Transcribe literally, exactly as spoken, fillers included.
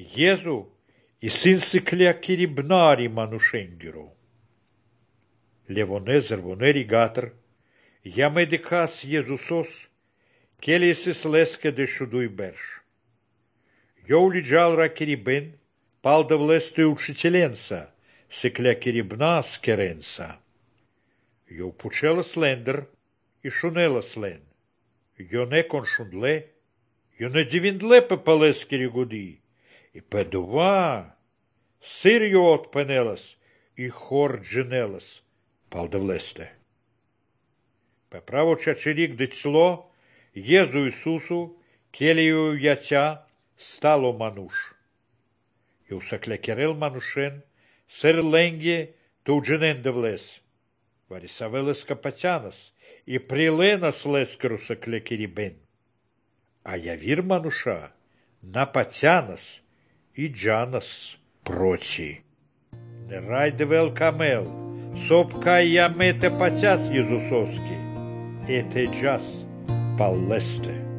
Iezu и сын сыклea кирибнари манушенгеру. Levonezăr voneri gatăr, ia medicas Iezusos, kelisis leske de шудуй берш. Йоули джалра кирибен, палдав лесты учителенса, сыклea кирибна скеренса. Йоу пучела слендер и шунела слен. Йо не коншундле, йо не дивиндле pe палескери гуди. И педува, сир йо отпенелас, и хор дженелас, палдав лесте. Pe pravo čačerik declo, Jezu Isusu, keliju jaća, stalo manuš. Eu saclecherel manușen, ser lenghe, tu genende vles. Vari saveles capatianas, и приленас лескеру саклekeri ben. А явир мануша, напатянас, и джанас проти. Не райде вел камел, сопка я мете патяс Езусовски, это джас паллесте.